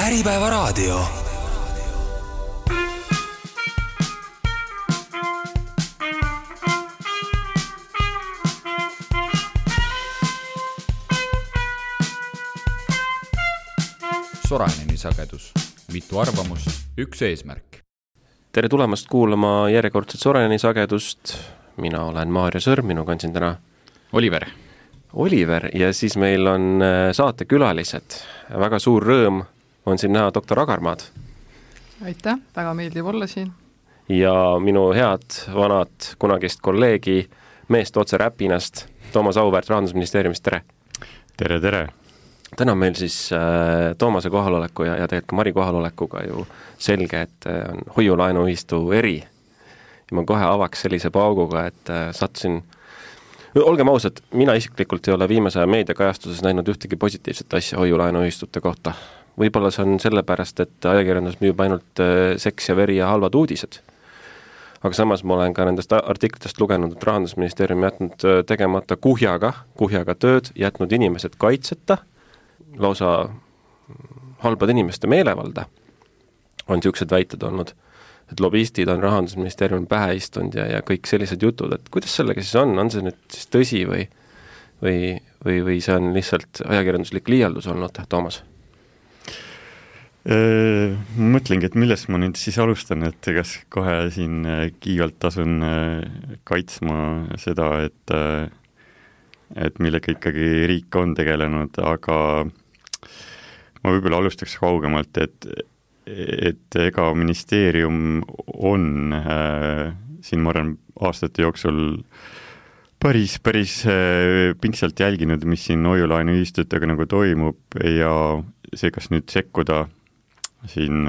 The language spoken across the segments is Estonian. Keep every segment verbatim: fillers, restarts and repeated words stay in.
Äripäevaraadio. Soraineni sagedus. Mitu arvamust, üks eesmärk. Tere tulemast kuulama järjekordset Soraineni sagedust. Mina olen Maarja Sõrm, minuga on siin täna Oliver. Oliver ja siis meil on saatekülalised. Väga suur rõõm on siin näha doktor Agarmaad. Aitäh, väga meeldiv olla siin. Ja minu head vanad kunagist kolleegi meest otse Räpinast, Toomas Auväärt Rahandusministeeriumist, tere! Tere, tere! Täna on meil siis äh, Toomase kohaloleku ja, ja tegelikult ka Mari kohalolekuga ju selge, et äh, on hoiulaenuühistu eri. Ja ma kohe avaks sellise pauguga, et äh, sattusin, olgem ausad, mina isiklikult ei ole viimase meediakajastuses näinud ühtegi positiivset asja hoiulaenuühistute kohta. Võib-olla see on sellepärast, et ajakirjandus müüb ainult äh, seks ja veri ja halvad uudised. Aga samas ma olen ka nendest artiklitest lugenud, et Rahandusministeerium jätnud tegemata kuhjaga, kuhjaga tööd, jätnud inimesed kaitseta, lausa halbad inimeste meelevalda on siuksed väited olnud, et lobistid on Rahandusministeeriumi pähe istunud ja, ja kõik sellised jutud, et kuidas sellega siis on, on see nüüd siis tõsi või, või, või, või see on lihtsalt ajakirjanduslik liialdus olnud, Toomas? Ma mõtlengi, et millest ma nüüd siis alustan, et kas kohe siin kiivalt tasun kaitsma seda, et, et millega ikkagi riik on tegelenud, aga ma võib-olla alustaks kaugemalt, et, et ega ministeerium on äh, siin ma arvan aastate jooksul päris, päris äh, pingsalt jälginud, mis siin hoiulaenuühistutega nagu toimub ja see, kas nüüd sekkuda siin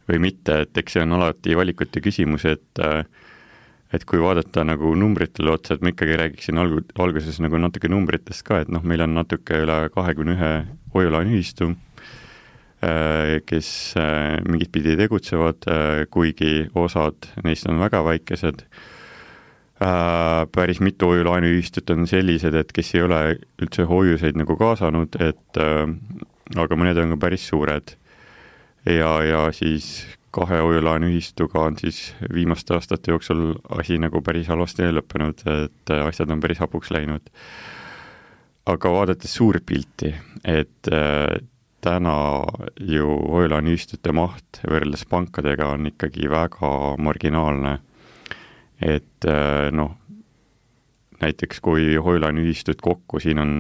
või mitte, et eks see on alati valikute küsimus, et äh, et kui vaadata nagu numbritele otsa, et ma ikkagi räägiksin algu, alguses nagu natuke numbritest ka, et noh, meil on natuke üle kahekümne ühe hoiulaenuühistu, kes mingit pidi tegutsevad, kuigi osad neist on väga väikesed. Päris mitu hoiulaenuühistut on sellised, et kes ei ole üldse hoiuseid nagu kaasanud, et aga mõned on ka päris suured. Ja, ja siis kahe hoiulaenuühistuga on siis viimaste aastate jooksul asi nagu päris halvasti lõppenud, et asjad on päris hapuks läinud. Aga vaadates suurt pilti, et täna ju hoiulaenuühistute maht võrreldes pankadega on ikkagi väga marginaalne. Et noh, näiteks kui hoiulaenuühistut kokku, siin on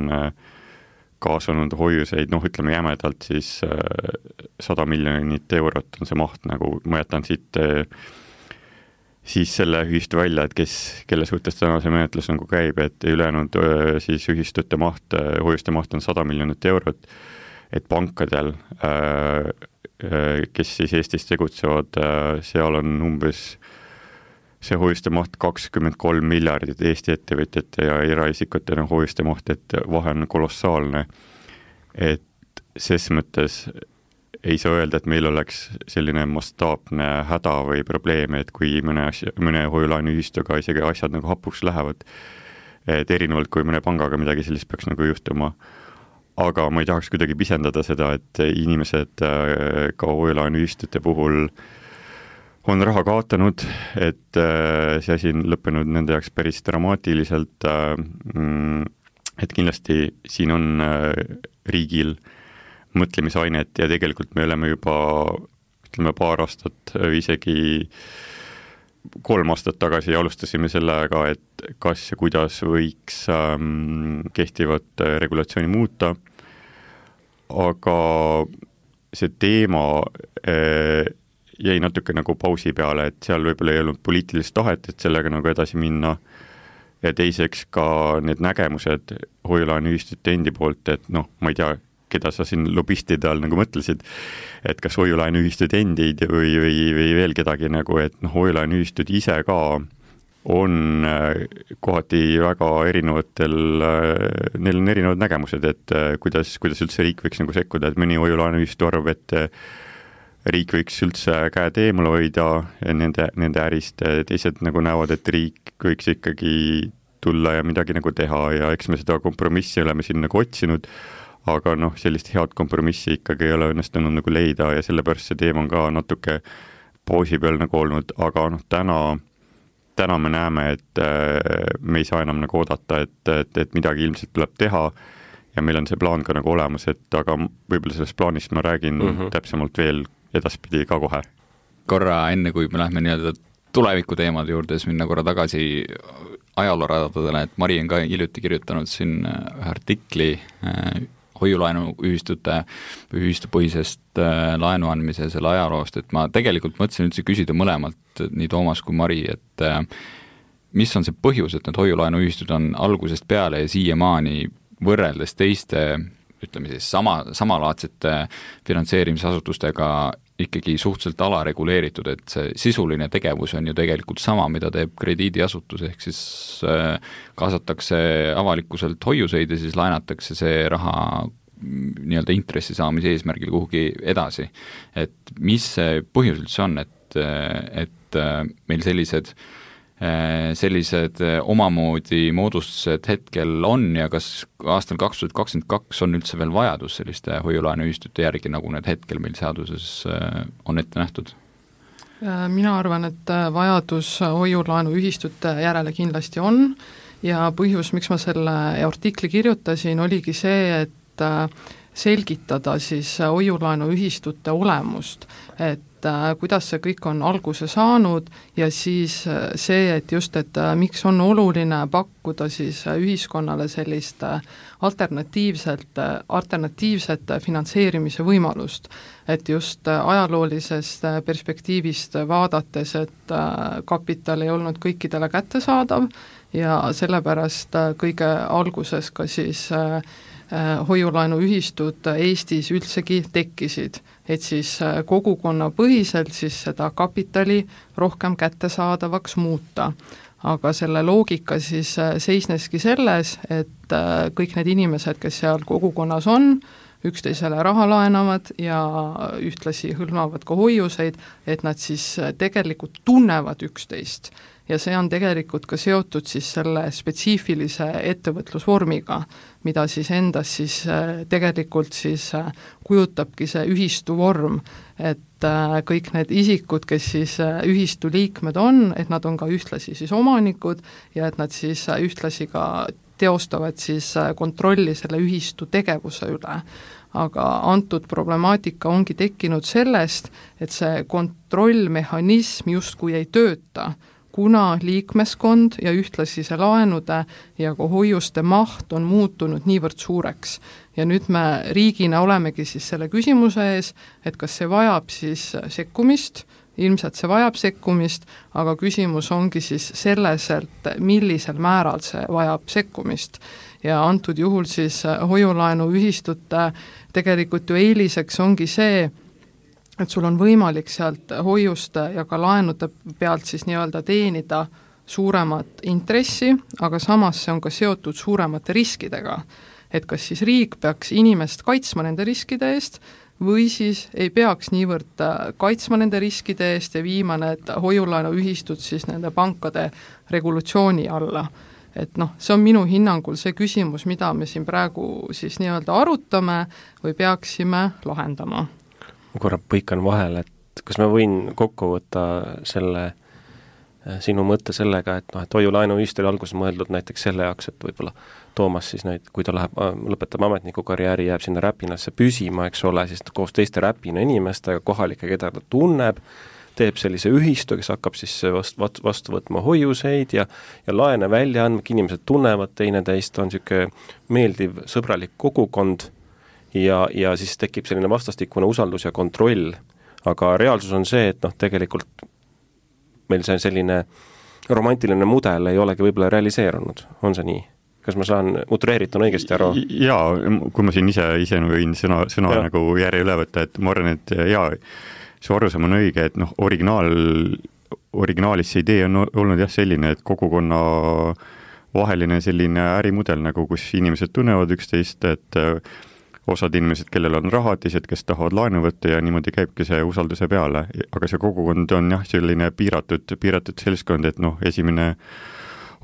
kaasanud hoiuseid, noh ütleme jämedalt siis sada miljonit eurot on see maht, nagu ma jätan siit siis selle ühistu välja, et kes, kelle suhtes täna see menetlus nagu käib, et ülejäänud siis ühistute maht, hoiuste maht on sada miljonit eurot, et pankadel, kes siis Eestis tegutsevad, seal on umbes see hoiuste maht kakskümmend kolm miljardit Eesti ettevõtjate ja eraisikute hoiuste maht, et vahe on kolossaalne. Et ses mõttes ei saa öelda, et meil oleks selline mastaapne häda või probleeme, et kui mõne, asja, mõne hoiulaenuühistuga isegi asjad nagu hapuks lähevad, et erinevalt kui mõne pangaga midagi sellist peaks nagu juhtuma. Aga ma ei tahaks kuidagi pisendada seda, et inimesed ka hoiulaenuühistute puhul on raha kaotanud, et see asi on lõppenud nende jaoks päris dramaatiliselt, et kindlasti siin on riigil mõtlemisainet ja tegelikult me oleme juba ütleme paar aastat, isegi kolm aastat tagasi alustasime sellega, et kas ja kuidas võiks kehtivat regulatsiooni muuta, aga see teema jäi natuke nagu pausi peale, et seal võib-olla ei olnud poliitilist tahet, et sellega nagu edasi minna ja teiseks ka need nägemused hoiulaenuühistute endi poolt, et noh, ma ei tea, keda sa siin lobistide all nagu mõtlesid, et kas hoiulaenuühistud endid või, või, või veel kedagi nagu, et noh, hoiulaenuühistud ise ka on kohati väga erinevatel, neil on erinevad nägemused, et kuidas, kuidas üldse riik võiks nagu sekkuda, et mõni hoiulaenuühistu arvab, et riik võiks üldse käed eemale hoida nende, nende ärist, teised nagu näevad, et riik võiks ikkagi tulla ja midagi nagu teha ja eks me seda kompromissi oleme siin nagu otsinud, aga noh, sellist head kompromissi ikkagi ei ole õnnestunud nagu leida ja sellepärast see teema on ka natuke pausi peal nagu olnud, aga noh, täna, täna me näeme, et me ei saa enam nagu oodata, et, et, et midagi ilmselt tuleb teha ja meil on see plaan ka nagu olemas, et aga võib-olla sellest plaanist ma räägin mm -hmm. täpsemalt veel edaspidi ka kohe. Korra enne, kui me lähme nii-öelda tuleviku teemade juurde, siis minna korra tagasi ajalooradadele, et Mari on ka hiljuti kirjutanud siin ühe artikli äh, hoiulaenuühistute või ühistupõhisest äh, laenu andmise selle ajaloost, et ma tegelikult mõtlesin üldse küsida mõlemalt, nii Toomas kui Mari, et äh, mis on see põhjus, et need hoiulaenuühistud on algusest peale ja siiamaani võrreldes teiste, ütleme siis sama, samalaadsete finantseerimisasutustega ikkagi suhteliselt alareguleeritud, et see sisuline tegevus on ju tegelikult sama, mida teeb krediidiasutus, ehk siis äh, kaasatakse avalikkuselt hoiuseid ja siis laenatakse see raha nii-öelda intressi saamise eesmärgil kuhugi edasi. Et mis see põhjus üldse on, et, et meil sellised sellised omamoodi moodustused hetkel on ja kas aastal kaks tuhat kakskümmend kaks on üldse veel vajadus selliste hoiulaenuühistute järgi, nagu need hetkel meil seaduses on ette nähtud? Mina arvan, et vajadus hoiulaenuühistute järele kindlasti on ja põhjus, miks ma selle artikli kirjutasin, oligi see, et selgitada siis hoiulaenuühistute olemust, et kuidas see kõik on alguse saanud ja siis see, et just, et miks on oluline pakkuda siis ühiskonnale sellist alternatiivselt, alternatiivset finantseerimise võimalust. Et just ajaloolisest perspektiivist vaadates, et kapital ei olnud kõikidele kättesaadav ja sellepärast kõige alguses ka siis hoiulaenuühistud Eestis üldsegi tekkisid, et siis kogukonnapõhiselt siis seda kapitali rohkem kättesaadavaks muuta. Aga selle loogika siis seisneski selles, et kõik need inimesed, kes seal kogukonnas on, üksteisele raha laenavad ja ühtlasi hõlmavad ka hoiuseid, et nad siis tegelikult tunnevad üksteist. Ja see on tegelikult ka seotud siis selle spetsiifilise ettevõtlusvormiga, mida siis endas siis tegelikult siis kujutabki see ühistu vorm, et kõik need isikud, kes siis ühistu liikmed on, et nad on ka ühtlasi siis omanikud ja et nad siis ühtlasi ka teostavad siis kontrolli selle ühistu tegevuse üle. Aga antud problemaatika ongi tekkinud sellest, et see kontrollmehhanism justkui ei tööta, kuna liikmeskond ja ühtlasi see laenude ja ka hoiuste maht on muutunud niivõrd suureks. Ja nüüd me riigina olemegi siis selle küsimuse ees, et kas see vajab siis sekkumist, ilmselt see vajab sekkumist, aga küsimus ongi siis selles, et millisel määral see vajab sekkumist. Ja antud juhul siis hoiulaenuühistute tegelikult ju eeliseks ongi see, et sul on võimalik sealt hoiuste ja ka laenude pealt siis nii-öelda teenida suuremat intressi, aga samas see on ka seotud suuremate riskidega. Et kas siis riik peaks inimest kaitsma nende riskide eest või siis ei peaks niivõrd kaitsma nende riskide eest ja viima need hoiulaenuühistud siis nende pankade regulatsiooni alla. Et noh, see on minu hinnangul see küsimus, mida me siin praegu siis nii-öelda arutame või peaksime lahendama. Ma korra põikan vahel, et kas ma võin kokku võtta selle sinu mõtte sellega, et noh, et hoiulaenuühistu oli alguses mõeldud näiteks selle jaoks, et võib-olla Toomas siis näit, kui ta läheb, lõpetab ametniku karjääri, jääb sinna Räpinasse püsima, eks ole, siis koos teiste Räpina inimestega, kohalike, keda ta tunneb, teeb sellise ühistu, kes hakkab siis vastu, vastu võtma hoiuseid ja, ja laene välja andma, inimesed tunnevad teineteist, on niisugune meeldiv, sõbralik kogukond ja, ja siis tekib selline vastastikune usaldus ja kontroll. Aga reaalsus on see, et noh, tegelikult meil see selline romantiline mudel ei olegi võib-olla realiseerunud. On see nii? Kas ma saan utreeritud õigesti aru? Jaa, kui ma siin ise, ise võin sõna, sõna ja. nagu järje üle võtta, et ma arvan, et jaa, see arusaam on õige, et noh, originaal, originaalis see idee on olnud jah selline, et kogukonna vaheline selline ärimudel, nagu kus inimesed tunnevad üksteist, et osad inimesed, kellel on raha, teised, kes tahavad laenu võtta ja niimoodi käibki see usalduse peale. Aga see kogukond on jah selline piiratud, piiratud selskond, et noh, esimene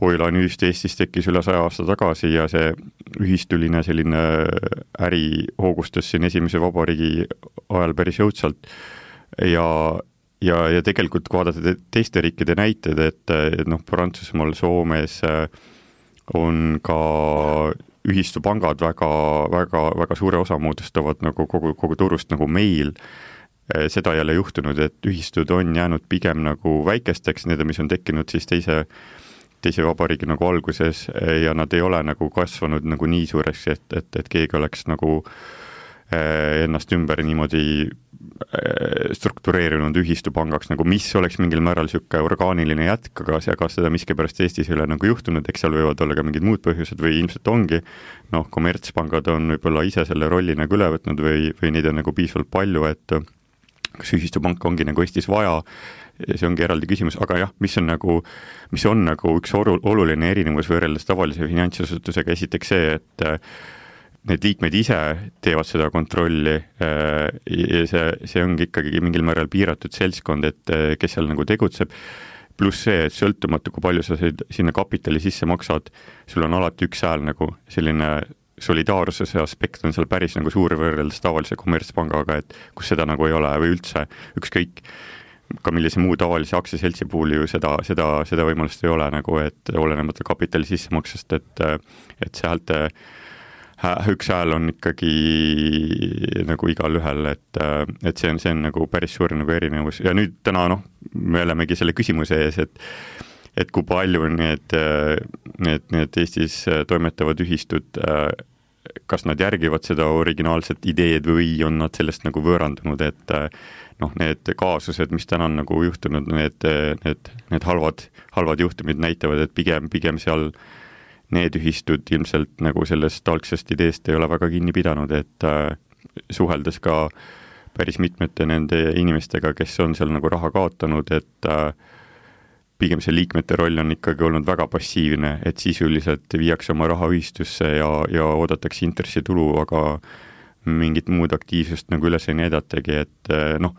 hoiulaenuühistu Eestis tekkis üle saja aasta tagasi ja see ühistuline selline äri hoogustas siin esimese vabariigi ajal päris jõudsalt ja ja, ja tegelikult kui vaadata teiste riikide näited, et, et noh, Prantsusmaal, Soomes on ka ühistupangad väga, väga, väga suure osa moodustavad nagu kogu, kogu turust nagu meil. Seda jälle juhtunud, et ühistud on jäänud pigem nagu väikesteks, need, mis on tekkinud siis teise, teise vabariigi nagu alguses ja nad ei ole nagu kasvanud nagu nii suureks, et, et, et keegi oleks nagu ennast ümber niimoodi struktureerinud ühistupangaks, nagu mis oleks mingil määral siuke orgaaniline jätk, aga, aga seda miskipärast Eestis ei ole nagu juhtunud, eks seal võivad olla ka mingid muud põhjused või ilmselt ongi, noh, kommertspangad on võib-olla ise selle rolli nagu üle võtnud või, või neid on nagu piisavalt palju, et kas ühistupanka ongi nagu Eestis vaja, see ongi eraldi küsimus, aga jah, mis on nagu, mis on nagu üks oluline erinevus võrreldes tavalise finantsasutusega, esiteks see, et need liikmed ise teevad seda kontrolli ja see, see ongi ikkagi mingil määral piiratud seltskond, et kes seal nagu tegutseb, pluss see, et sõltumatu, kui palju sa sinna kapitali sisse maksad, sul on alati üks hääl nagu selline solidaarsuse aspekt on seal päris nagu suur võrreldes tavalise kommertspangaga, et kus seda nagu ei ole või üldse ükskõik ka millise muu tavalise aktsiaseltsi puhul ju seda, seda, seda võimalust ei ole nagu, et olenemata kapitali sissemaksest, et, et see häälte üks hääl on ikkagi nagu igal ühel, et, et see on, see on nagu päris suur nagu erinevus ja nüüd täna noh, me olemegi selle küsimuse ees, et et kui palju need, need, need Eestis toimetavad ühistud, kas nad järgivad seda originaalset ideed või on nad sellest nagu võõrandunud, et noh, need kaasused, mis täna on nagu juhtunud, need, need, need halvad, halvad juhtumid näitavad, et pigem, pigem seal need ühistud ilmselt nagu sellest algsest ideest ei ole väga kinni pidanud, et suheldes ka päris mitmete nende inimestega, kes on seal nagu raha kaotanud, et pigem see liikmete roll on ikkagi olnud väga passiivne, et sisuliselt viiakse oma raha ühistusse ja, ja oodatakse intressitulu, aga mingit muud aktiivsust nagu üles ei näidatagi, et noh,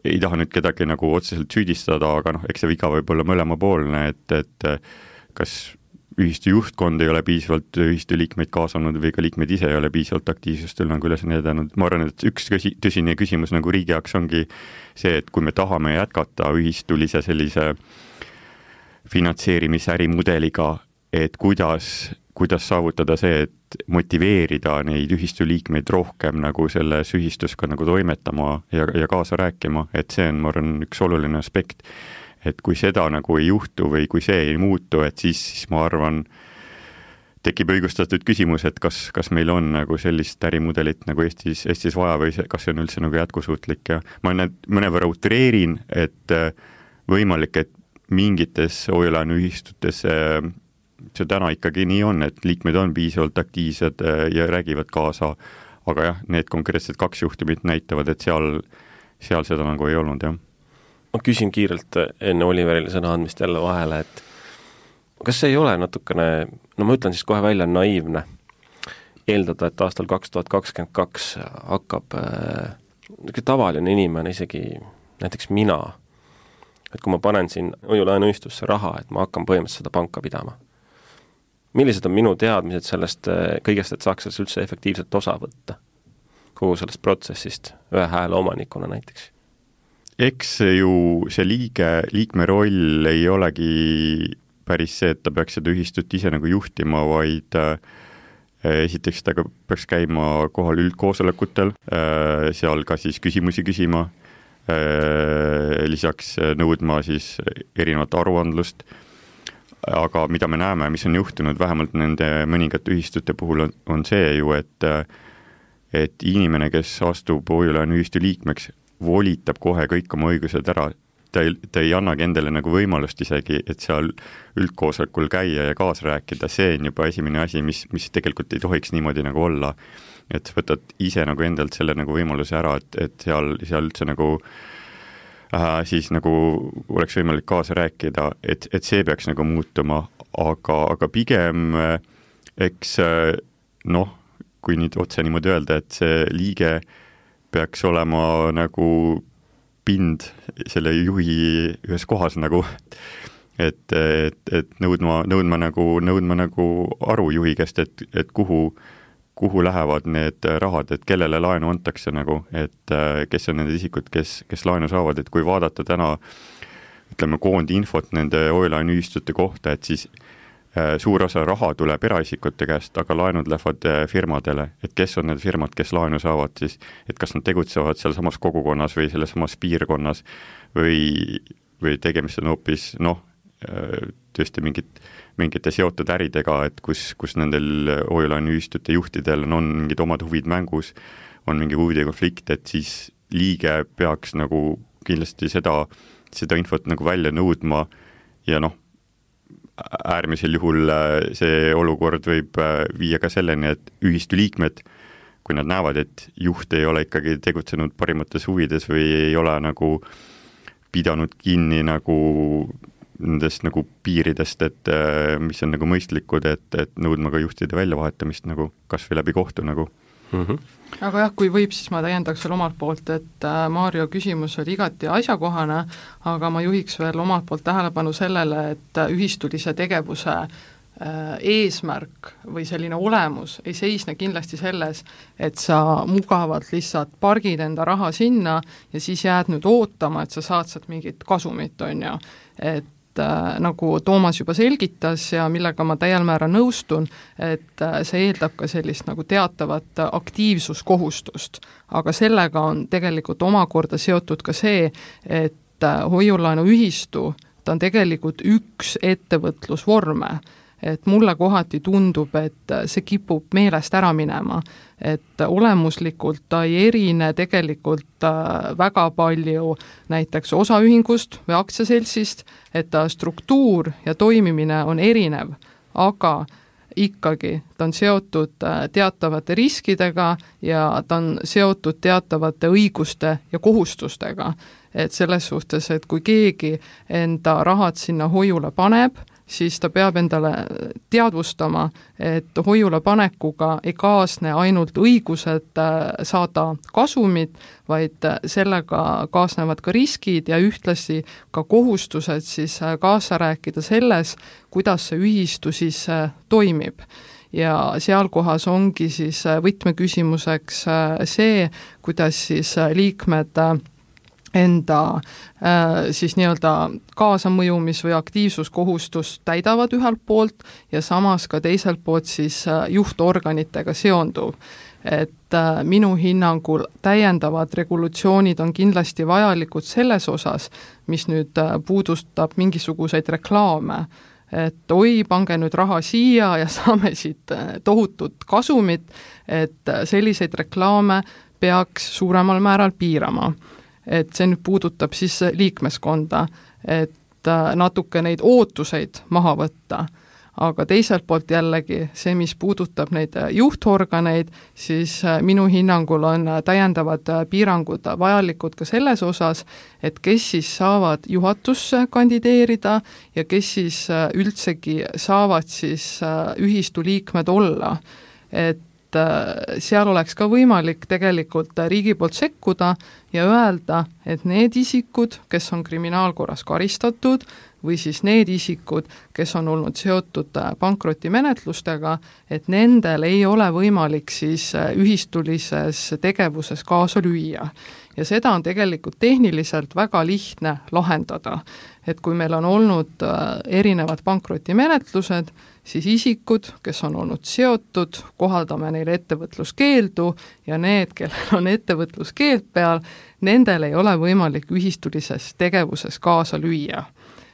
ei taha nüüd kedagi nagu otseselt süüdistada, aga noh, eks see viga võib olla mõlemapoolne, et, et kas ühistu juhtkond ei ole piisavalt ühistu liikmeid kaasanud või ka liikmed ise ei ole piisavalt aktiivsust nagu üles näidanud. Ma arvan, et üks tõsine küsimus nagu riigi jaoks ongi see, et kui me tahame jätkata ühistulise sellise finantseerimisärimudeliga, et kuidas, kuidas saavutada see, et motiveerida neid ühistu liikmeid rohkem nagu selles ühistus ka nagu toimetama ja, ja kaasa rääkima, et see on, ma arvan, üks oluline aspekt. Et kui seda nagu ei juhtu või kui see ei muutu, et siis, siis ma arvan, tekib õigustatud küsimus, et kas, kas meil on nagu sellist ärimudelit nagu Eestis, Eestis vaja või see, kas see on üldse nagu jätkusuutlik ja ma mõnevõrra utreerin, et võimalik, et mingites hoiulaenuühistutes see täna ikkagi nii on, et liikmed on piisavalt aktiivsed ja räägivad kaasa, aga jah, need konkreetsed kaks juhtumit näitavad, et seal, seal seda nagu ei olnud, jah. Ma küsin kiirelt enne Oliverile sõna andmist jälle vahele, et kas see ei ole natukene, no ma ütlen siis kohe välja, naiivne eeldada, et aastal kaks tuhat kakskümmend kaks hakkab äh, tavaline inimene, isegi näiteks mina, et kui ma panen siin hoiulaenuühistusse raha, et ma hakkan põhimõtteliselt seda panka pidama. Millised on minu teadmised sellest kõigest, et saaks sellest üldse efektiivselt osa võtta kogu sellest protsessist ühe hääle omanikuna näiteks? Eks ju see liige, liikme roll ei olegi päris see, et ta peaks seda ühistut ise nagu juhtima, vaid äh, esiteks ta peaks käima kohal üldkoosolekutel, äh, seal ka siis küsimusi küsima, äh, lisaks nõudma siis erinevat aruandlust, aga mida me näeme, mis on juhtunud vähemalt nende mõningate ühistute puhul on, on see ju, et, et inimene, kes astub hoiulaenuühistu liikmeks, volitab kohe kõik oma õigused ära. Ta ei, ta ei annagi endale nagu võimalust isegi, et seal üldkoosolekul käia ja kaasa rääkida. See on juba esimene asi, mis, mis tegelikult ei tohiks niimoodi nagu olla. Et võtad ise nagu endalt selle nagu võimaluse ära, et, et seal, seal üldse nagu äh, siis nagu oleks võimalik kaasa rääkida, et, et see peaks nagu muutuma, aga, aga pigem äh, eks äh, noh, kui nüüd otse niimoodi öelda, et see liige peaks olema nagu pind selle juhi ühes kohas nagu, et, et, et nõudma, nõudma nagu, nõudma nagu aru juhi käest, et, et kuhu, kuhu lähevad need rahad, et kellele laenu antakse nagu, et kes on need isikud, kes, kes laenu saavad, et kui vaadata täna ütleme koondinfot nende hoiulaenuühistute kohta, et siis suur osa raha tuleb eraisikute käest, aga laenud lähevad firmadele, et kes on need firmad, kes laenu saavad siis, et kas nad tegutsevad seal samas kogukonnas või selles samas piirkonnas või, või tegemist on hoopis noh, tõesti mingit, mingite seotud äridega, et kus, kus nendel hoiulaenuühistute juhtidel on, on mingid omad huvid mängus, on mingi huvide konflikt, et siis liige peaks nagu kindlasti seda, seda infot nagu välja nõudma ja noh, äärmisel juhul see olukord võib viia ka selleni, et ühistu liikmed, kui nad näevad, et juht ei ole ikkagi tegutsenud parimates huvides või ei ole nagu pidanud kinni nagu nendest nagu piiridest, et mis on nagu mõistlikud, et, et nõudma ka juhtide väljavahetamist nagu kas või läbi kohtu nagu. Mm -hmm. Aga jah, kui võib, siis ma täiendaks veel omalt poolt, et Maarjo küsimus oli igati asjakohane, aga ma juhiks veel omalt poolt tähelepanu sellele, et ühistulise tegevuse eesmärk või selline olemus ei seisne kindlasti selles, et sa mugavalt lihtsalt pargid enda raha sinna ja siis jääd nüüd ootama, et sa saad sealt mingit kasumit, on ju, et Äh, nagu Toomas juba selgitas ja millega ma täiel määral nõustun, et äh, see eeldab ka sellist nagu teatavat aktiivsuskohustust, aga sellega on tegelikult omakorda seotud ka see, et äh, hoiulaenuühistu, ta on tegelikult üks ettevõtlusvorme, et mulle kohati tundub, et see kipub meelest ära minema, et olemuslikult ta ei erine tegelikult väga palju näiteks osaühingust või aktsiaseltsist, et ta struktuur ja toimimine on erinev, aga ikkagi ta on seotud teatavate riskidega ja ta on seotud teatavate õiguste ja kohustustega, et selles suhtes, et kui keegi enda rahad sinna hoiule paneb, siis ta peab endale teadvustama, et hoiule panekuga ei kaasne ainult õigused saada kasumit, vaid sellega kaasnevad ka riskid ja ühtlasi ka kohustused siis kaasa rääkida selles, kuidas see ühistu siis toimib. Ja sealkohas ongi siis võtmeküsimuseks see, kuidas siis liikmed enda äh, siis nii-öelda kaasamõjumis- või aktiivsuskohustust täidavad ühelt poolt ja samas ka teiselt poolt siis äh, juhtorganitega seonduv. Et äh, minu hinnangul täiendavad regulatsioonid on kindlasti vajalikud selles osas, mis nüüd äh, puudustab mingisuguseid reklaame, et oi, pange nüüd raha siia ja saame siit tohutut kasumit, et selliseid reklaame peaks suuremal määral piirama. Et see nüüd puudutab siis liikmeskonda, et natuke neid ootuseid maha võtta, aga teiselt poolt jällegi see, mis puudutab neid juhtorganeid, siis minu hinnangul on täiendavad piirangud vajalikud ka selles osas, et kes siis saavad juhatusse kandideerida ja kes siis üldsegi saavad siis ühistu liikmed olla, et seal oleks ka võimalik tegelikult riigi poolt sekkuda ja öelda, et need isikud, kes on kriminaalkorras karistatud või siis need isikud, kes on olnud seotud pankrotimenetlustega, et nendel ei ole võimalik siis ühistulises tegevuses kaasa lüüa. Ja seda on tegelikult tehniliselt väga lihtne lahendada. Et kui meil on olnud erinevad pankrotimenetlused, siis isikud, kes on olnud seotud, kohaldame neile ettevõtluskeeldu ja need, kellel on ettevõtluskeeld peal, nendel ei ole võimalik ühistulises tegevuses kaasa lüüa.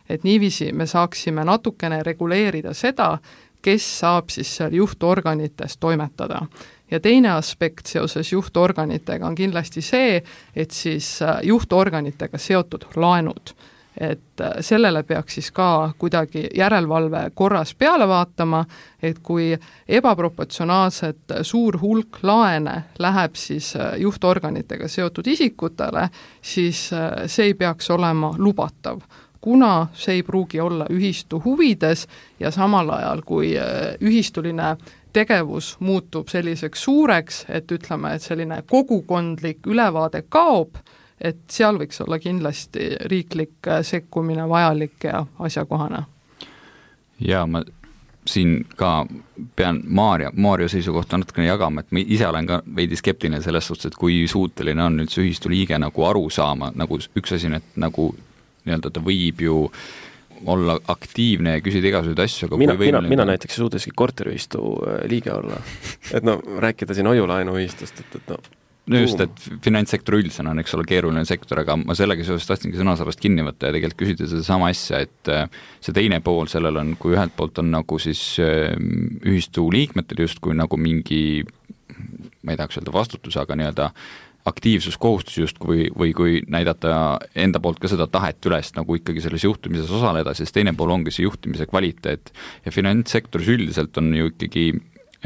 Et niiviisi me saaksime natukene reguleerida seda, kes saab siis seal juhtorganites toimetada. Ja teine aspekt seoses juhtorganitega on kindlasti see, et siis juhtorganitega seotud laenud, et sellele peaks siis ka kuidagi järelevalve korras peale vaatama, et kui ebaproportsionaalselt suur hulk laene läheb siis juhtorganitega seotud isikutele, siis see ei peaks olema lubatav, kuna see ei pruugi olla ühistu huvides ja samal ajal, kui ühistuline tegevus muutub selliseks suureks, et ütleme, et selline kogukondlik ülevaade kaob, et seal võiks olla kindlasti riiklik sekkumine vajalik ja asjakohane. Jaa, ma siin ka pean Maarja, Maarja seisukohta natukene jagama, et ma ise olen ka veidi skeptiline selles suhtes, et kui suuteline on nüüd see ühistu liige nagu aru saama, nagu üks asi, et nagu nii-öelda ta võib ju olla aktiivne ja küsida igasuguseid asju, aga mina, kui mina, mina näiteks ei suudeski korteriühistu liige olla. Et no rääkida siin hoiulaenuühistust, et, et no no just, et finantssektor üldisena on, eks ole, keeruline sektor, aga ma sellega seoses tahtsingi sõnasabast kinni võtta ja tegelikult küsida seda sama asja, et see teine pool sellel on, kui ühelt poolt on nagu siis ühistu liikmetel justkui nagu mingi, ma ei tahaks öelda vastutus, aga nii-öelda aktiivsuskohustus justkui või kui näidata enda poolt ka seda tahet üles nagu ikkagi selles juhtimises osaleda, siis teine pool ongi see juhtimise kvaliteet ja finantssektoris üldiselt on ju ikkagi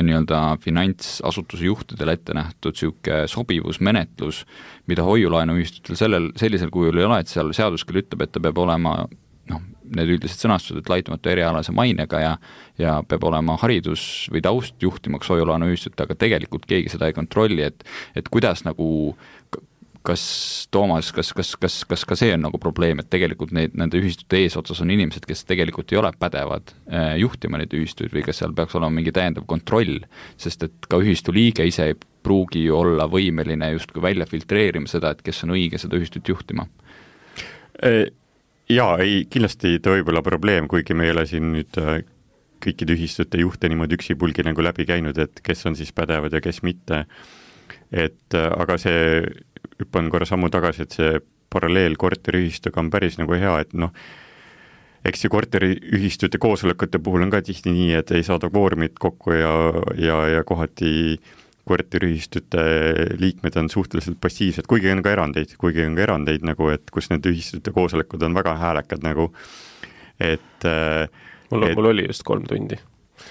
nii-öelda finantsasutuse juhtidele ette nähtud siuke sobivusmenetlus, mida hoiulaenuühistutel sellel, sellisel kujul ei ole, et seal seadus küll ütleb, et ta peab olema noh, need üldised sõnastused, et laitumatu erialase mainega ja, ja peab olema haridus või taust juhtimaks hoiulaenuühistut, aga tegelikult keegi seda ei kontrolli, et, et kuidas nagu kas Toomas, kas, kas, kas, kas ka see on nagu probleem, et tegelikult neid, nende ühistute eesotsas on inimesed, kes tegelikult ei ole pädevad eh, juhtima neid ühistuid või kas seal peaks olema mingi täiendav kontroll, sest et ka ühistu liige ise ei pruugi ju olla võimeline justkui välja filtreerima seda, et kes on õige seda ühistut juhtima? Jaa, ei, kindlasti ta võib olla probleem, kuigi me ei ole siin nüüd kõikide ühistute juhte niimoodi üksipulgi nagu läbi käinud, et kes on siis pädevad ja kes mitte. Et aga see hüppan korra sammu tagasi, et see paralleel korteriühistuga on päris nagu hea, et noh, eks see korteriühistute koosolekute puhul on ka tihti nii, et ei saada kvoorumit kokku ja, ja, ja kohati korteriühistute liikmed on suhteliselt passiivsed, kuigi on ka erandeid, kuigi on ka erandeid nagu, et kus need ühistute koosolekud on väga häälekad nagu, et mul, et, mul oli just kolm tundi.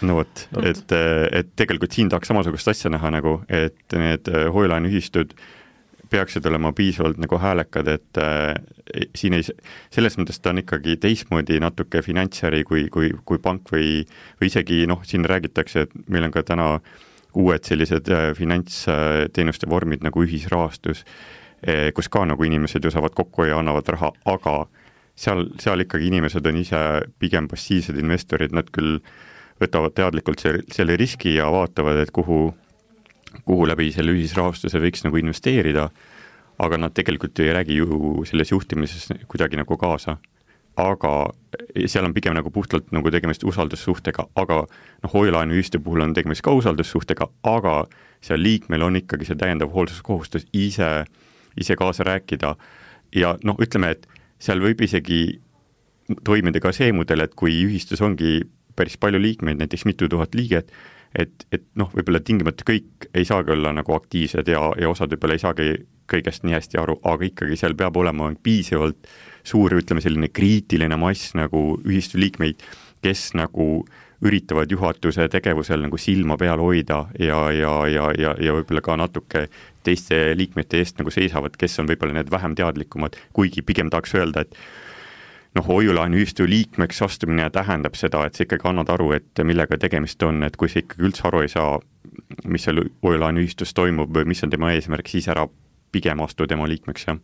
No vot, et, et tegelikult siin tahaks samasugust asja näha nagu, et need hoiulaenuühistud peaksid olema piisavalt nagu häälekad, et äh, siin ei, selles mõttes ta on ikkagi teistmoodi natuke finantsäri kui, kui, kui pank või, või isegi noh, siin räägitakse, et meil on ka täna uued sellised äh, finantsteenuste vormid nagu ühisrahastus, äh, kus ka nagu inimesed ju saavad kokku ja annavad raha, aga seal, seal ikkagi inimesed on ise pigem passiivsed investorid, nad küll võtavad teadlikult selle, selle riski ja vaatavad, et kuhu kuhu läbi selle ühisrahastuse võiks nagu investeerida, aga nad tegelikult ei räägi ju selles juhtimises kuidagi nagu kaasa. Aga seal on pigem nagu puhtalt nagu tegemist usaldussuhtega, aga noh, hoiulaenuühistu puhul on tegemist ka usaldussuhtega, aga seal liikmel on ikkagi see täiendav hoolsuskohustus ise, ise kaasa rääkida ja noh, ütleme, et seal võib isegi toimida ka see mudel, et kui ühistus ongi päris palju liikmeid, näiteks mitu tuhat liiget, et, et noh, võib-olla tingimata kõik ei saagi olla nagu aktiivsed ja, ja osad võib-olla ei saagi kõigest nii hästi aru, aga ikkagi seal peab olema piisavalt suur, ütleme selline kriitiline mass nagu ühistu liikmeid, kes nagu üritavad juhatuse tegevusel nagu silma peal hoida ja, ja, ja, ja, ja võib-olla ka natuke teiste liikmete eest nagu seisavad, kes on võib-olla need vähem teadlikumad, kuigi pigem tahaks öelda, et noh, hoiulaenuühistu liikmeks astumine tähendab seda, et sa ikkagi annad aru, et millega tegemist on, et kui sa ikkagi üldse aru ei saa, mis seal hoiulaenuühistus toimub või mis on tema eesmärk, siis ära pigem astu tema liikmeks, jah.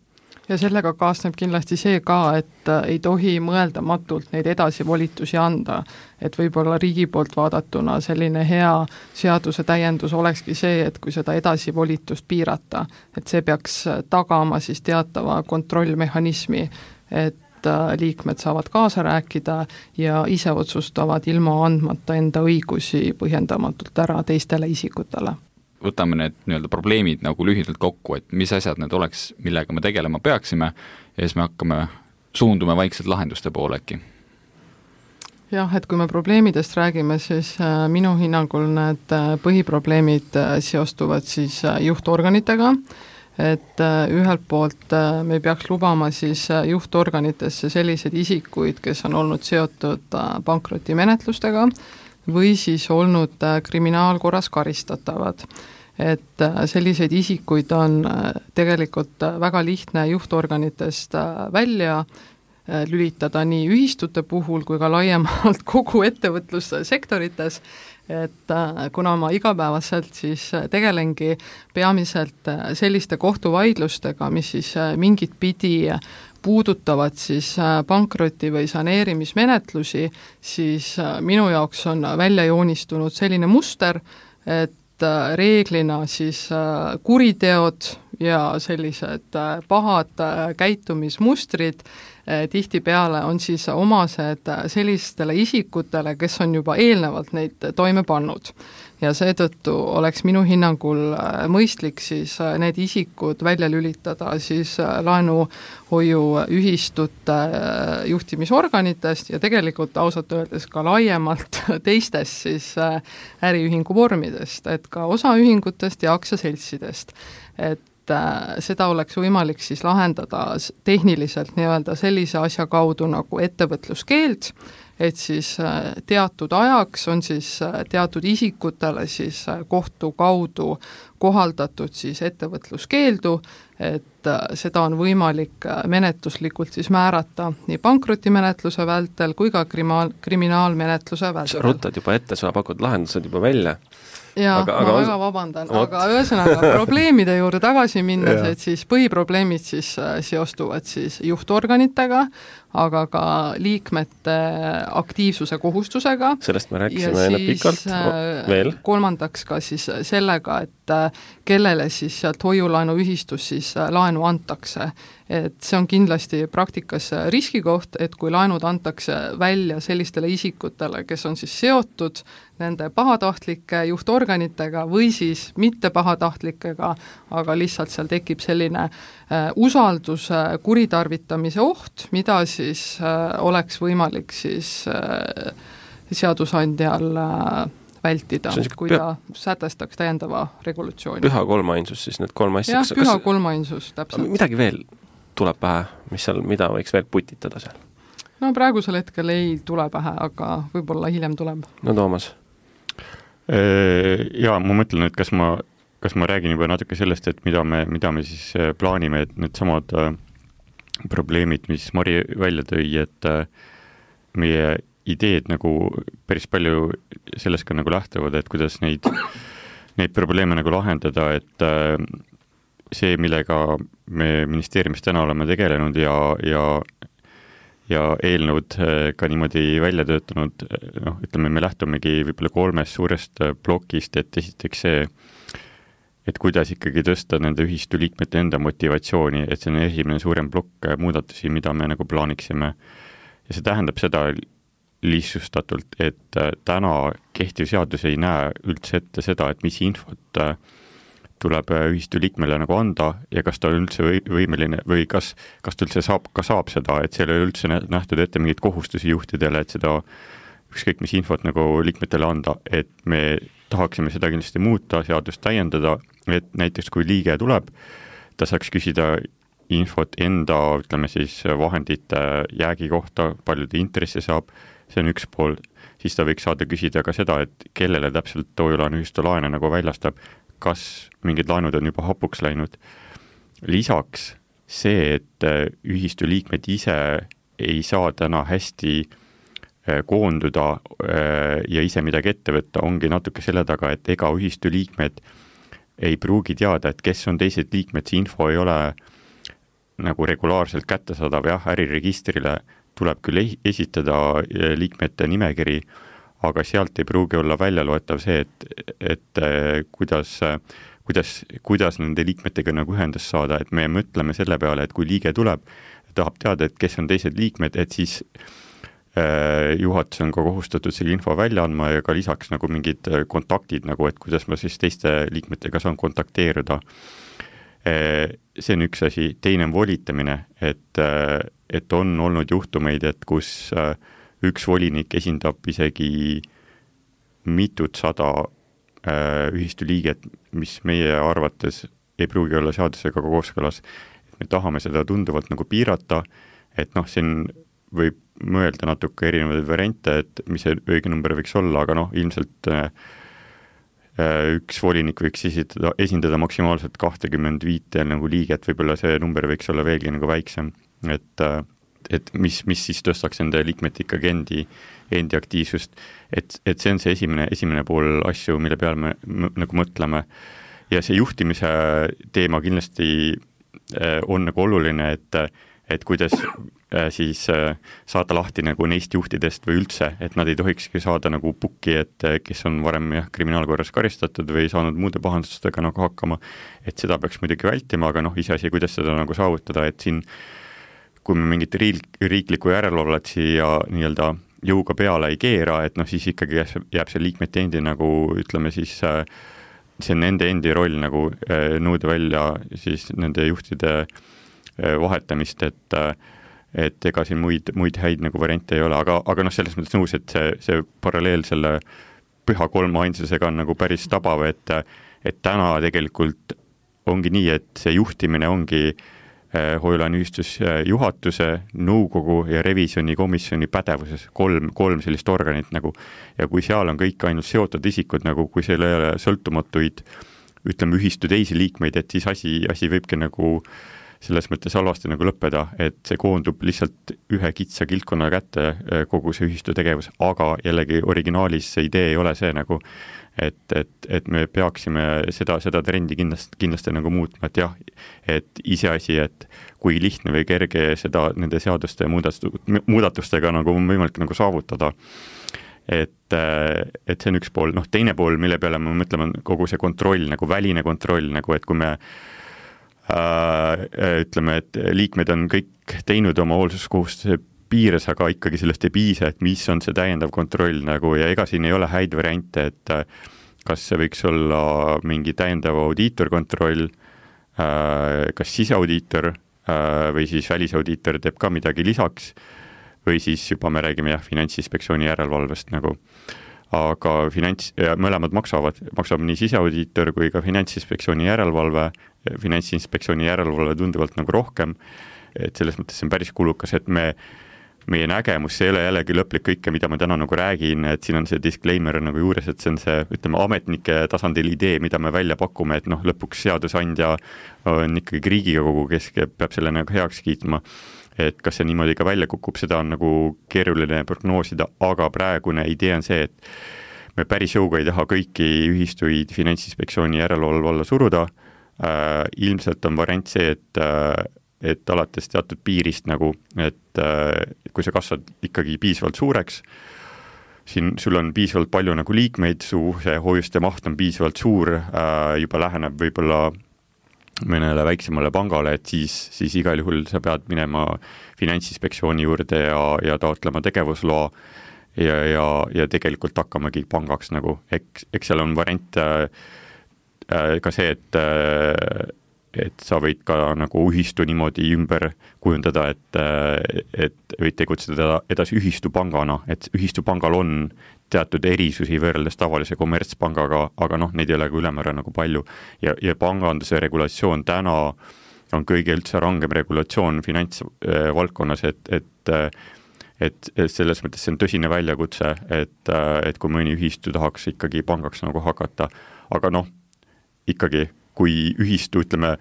Ja sellega kaasneb kindlasti see ka, et ei tohi mõeldamatult neid edasivolitusi anda, et võib-olla riigi poolt vaadatuna selline hea seaduse täiendus olekski see, et kui seda edasivolitust piirata, et see peaks tagama siis teatava kontrollmehhanismi, et liikmed saavad kaasa rääkida ja ise otsustavad ilma andmata enda õigusi põhjendamatult ära teistele isikutele. Võtame need nii-öelda probleemid nagu lühidalt kokku, et mis asjad need oleks, millega me tegelema peaksime ja siis me hakkame suundume vaikselt lahenduste poole äkki. Jah, et kui me probleemidest räägime, siis minu hinnangul need põhiprobleemid seostuvad siis juhtorganitega, et ühelt poolt me peaks lubama siis juhtorganitesse selliseid isikuid, kes on olnud seotud pankrotimenetlustega või siis olnud kriminaalkorras karistatavad. Et selliseid isikuid on tegelikult väga lihtne juhtorganitest välja lülitada nii ühistute puhul kui ka laiemalt kogu ettevõtlussektorites, et kuna ma igapäevaselt siis tegelengi peamiselt selliste kohtuvaidlustega, mis siis mingit pidi puudutavad siis pankroti või saneerimismenetlusi, siis minu jaoks on välja joonistunud selline muster, et reeglina siis kuriteod ja sellised pahad käitumismustrid tihtipeale on siis omased sellistele isikutele, kes on juba eelnevalt neid toime pannud. Ja seetõttu oleks minu hinnangul mõistlik siis need isikud välja lülitada siis laenuhoiu ühistute juhtimisorganitest ja tegelikult ausalt öeldes ka laiemalt teistest siis äriühingu vormidest, et ka osaühingutest ja aktsiaseltsidest. Et seda oleks võimalik siis lahendada tehniliselt nii-öelda sellise asja kaudu nagu ettevõtluskeeld, et siis teatud ajaks on siis teatud isikutele siis kohtu kaudu kohaldatud siis ettevõtluskeeldu, et seda on võimalik menetluslikult siis määrata nii pankrotimenetluse vältel kui ka krimaal, kriminaalmenetluse vältel. Sa ruttad juba ette, sa pakud lahendused juba välja. Jaa, ma on... väga vabandan, Ot. aga ühesõnaga probleemide juurde tagasi minnes, et siis põhiprobleemid siis seostuvad siis juhtorganitega, aga ka liikmete aktiivsuse kohustusega. Sellest me rääkisime enne pikalt veel. Kolmandaks ka siis sellega, et kellele siis sealt hoiulaenuühistus siis laenu antakse. Et see on kindlasti praktikas riskikoht, et kui laenud antakse välja sellistele isikutele, kes on siis seotud nende pahatahtlike juhtorganitega või siis mitte pahatahtlikuga, aga lihtsalt seal tekib selline äh, usalduse kuritarvitamise oht, mida siis äh, oleks võimalik siis äh, seadusandjal äh, vältida, kui ta püha, sätestaks täiendava regulatsiooni. Püha kolmainsus siis need kolm asja. Jah, püha kolmainsus, täpselt. Midagi veel tuleb pähe, mis seal, mida võiks veel putitada seal? No praegusel hetkel ei tule pähe, aga võib-olla hiljem tuleb. No Toomas? Jaa, ma mõtlen, et kas ma, kas ma räägin juba natuke sellest, et mida me, mida me siis plaanime, et need samad probleemid, mis Mari välja tõi, et meie ideed nagu päris palju sellest ka nagu lähtuvad, et kuidas neid, neid probleeme nagu lahendada, et see, millega me ministeeriumis täna oleme tegelenud ja, ja, ja eelnõud ka niimoodi välja töötanud, noh, ütleme, me lähtumegi võib-olla kolmest suurest plokist, et esiteks see, et kuidas ikkagi tõsta nende ühistu liikmete enda motivatsiooni, et see on esimene suurem plokk muudatusi, mida me nagu plaaniksime. Ja see tähendab seda lihtsustatult, et täna kehtiv seadus ei näe üldse ette seda, et mis infot tuleb ühistu liikmele nagu anda ja kas ta on üldse võimeline või kas, kas ta üldse saab, ka saab seda, et seal ei üldse nähtud ette mingeid kohustusi juhtidele, et seda ükskõik mis infot nagu liikmetele anda, et me tahaksime seda kindlasti muuta, seadust täiendada, et näiteks kui liige tuleb, ta saaks küsida infot enda, ütleme siis, vahendite jäägi kohta, palju ta intressi saab, see on üks pool, siis ta võiks saada küsida ka seda, et kellele täpselt hoiulaenuühistu laene nagu väljastab, kas mingid laenud on juba hapuks läinud. Lisaks see, et ühistu liikmed ise ei saa täna hästi koonduda ja ise midagi ette võtta, ongi natuke selle taga, et ega ühistu liikmed ei pruugi teada, et kes on teised liikmed, see info ei ole nagu regulaarselt kättesaadav, jah, äriregistrile tuleb küll esitada liikmete nimekiri, aga sealt ei pruugi olla välja loetav see, et, et kuidas, kuidas, kuidas nende liikmetega nagu ühendust saada, et me mõtleme selle peale, et kui liige tuleb, tahab teada, et kes on teised liikmed, et siis äh, juhatus on ka kohustatud selle info välja andma ja ka lisaks nagu mingid kontaktid, nagu, et kuidas ma siis teiste liikmetega saan kontakteeruda. Äh, see on üks asi, teine on volitamine, et, et on olnud juhtumeid, et kus äh, üks volinik esindab isegi mitut sada äh, ühistu liiget, mis meie arvates ei pruugi olla seadusega kooskõlas. Me tahame seda tunduvalt nagu piirata, et noh, siin võib mõelda natuke erinevaid variante, et mis see õige number võiks olla, aga noh, ilmselt äh, üks volinik võiks esitada, esindada maksimaalselt kakskümmend viis nagu liiget, võib-olla see number võiks olla veelgi nagu väiksem, et äh, et mis, mis siis tõstaks nende liikmete ikkagi endi, endi aktiivsust. Et, et see on see esimene, esimene pool asju, mille peale me m- nagu mõtleme. Ja see juhtimise teema kindlasti on nagu oluline, et, et kuidas siis saada lahti nagu neist juhtidest või üldse, et nad ei tohikski saada nagu pukki, et kes on varem jah, kriminaalkorras karistatud või saanud muude pahandustega nagu hakkama, et seda peaks muidugi vältima, aga noh, iseasi, kuidas seda nagu saavutada, et siin kui me mingit riik, riiklikku järelevalvet siia nii-öelda jõuga peale ei keera, et noh, siis ikkagi jääb see liikmete endi nagu ütleme siis, see on nende endi roll nagu nõuda välja siis nende juhtide vahetamist, et et ega siin muid, muid häid nagu variante ei ole, aga, aga noh, selles mõttes nõus, et see, see paralleel selle püha kolma ainsusega on nagu päris tabav, et, et täna tegelikult ongi nii, et see juhtimine ongi hoiu-laenuühistus juhatuse, nõukogu ja revisjonikomisjoni pädevuses, kolm, kolm sellist organit nagu, ja kui seal on kõik ainult seotud isikud, nagu kui seal ei ole sõltumatuid, ütleme, ühistu teisi liikmeid, et siis asi, asi võibki nagu selles mõttes halvasti nagu lõppeda, et see koondub lihtsalt ühe kitsa kiltkonna kätte kogu see ühistu tegevus, aga jällegi originaalis see idee ei ole see nagu, et, et, et me peaksime seda, seda trendi kindlasti, kindlasti nagu muutma, et jah, et iseasi, et kui lihtne või kerge seda nende seaduste muudatustega nagu on võimalik nagu saavutada. Et, et see on üks pool, noh teine pool, mille peale me mõtleme, kogu see kontroll, nagu väline kontroll, nagu et kui me äh, ütleme, et liikmed on kõik teinud oma hoolsuskohustuse piires, aga ikkagi sellest ei piisa, et mis on see täiendav kontroll nagu ja ega siin ei ole häid variante, et kas see võiks olla mingi täiendav audiitorkontroll, kas siseaudiitor või siis välisaudiitor teeb ka midagi lisaks või siis juba me räägime jah, Finantsinspektsiooni järelevalvest nagu. Aga finants, mõlemad maksavad, maksab nii siseaudiitor kui ka Finantsinspektsiooni järelevalve, Finantsinspektsiooni järelevalve tunduvalt nagu rohkem, et selles mõttes see on päris kulukas, et me meie nägemus, see ei ole jällegi lõplik kõike, mida ma täna nagu räägin, et siin on see disclaimer nagu juures, et see on see, ütleme, ametnike tasandil idee, mida me välja pakume, et noh, lõpuks seadusandja on ikkagi Riigikogu, kes peab selle nagu heaks kiitma, et kas see niimoodi ka välja kukub, seda on nagu keeruline prognoosida, aga praegune idee on see, et me päris jõuga ei taha kõiki ühistuid Finantsinspektsiooni järelevalve alla suruda, äh, ilmselt on variant see, et äh, et alates teatud piirist nagu, et äh, kui sa kasvad ikkagi piisavalt suureks, siin sul on piisavalt palju nagu liikmeid, su see hoiuste maht on piisavalt suur, äh, juba läheneb võib-olla mõnele väiksemale pangale, et siis, siis igal juhul sa pead minema Finantsinspektsiooni juurde ja, ja taotlema tegevusloa ja, ja, ja tegelikult hakkamagi pangaks nagu, eks, eks seal on variant äh, ka see, et äh, et sa võid ka nagu ühistu niimoodi ümber kujundada, et, et võid tegutseda edasi ühistu pangana, et ühistu pangal on teatud erisusi võrreldes tavalise kommertspangaga, aga noh, neid ei ole ka ülemäära nagu palju. Ja, ja panganduse regulatsioon täna on kõige üldse rangem regulatsioon finantsvaldkonnas, et, et, et, et selles mõttes see on tõsine väljakutse, et, et kui mõni ühistu tahaks ikkagi pangaks nagu hakata, aga noh, ikkagi kui ühistu, ütleme,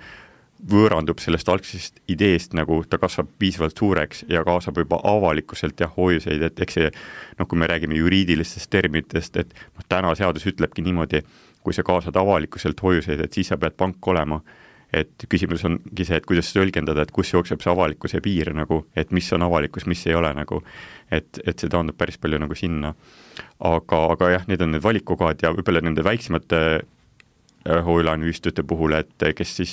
võõrandub sellest algsest ideest, nagu ta kasvab piisavalt suureks ja kaasab juba avalikkuselt ja hoiuseid, et eks see, noh, kui me räägime juriidilistest terminitest, et noh, täna seadus ütlebki niimoodi, kui sa kaasad avalikkuselt hoiuseid, et siis sa pead pank olema, et küsimus ongi see, et kuidas tõlgendada, et kus jookseb see avalikkuse piir nagu, et mis on avalikkus, mis ei ole nagu, et, et see taandub päris palju nagu sinna. Aga, aga jah, need on need valikukohad ja võib-olla nende väiksemate hoiu-laenuühistute puhul, et kes siis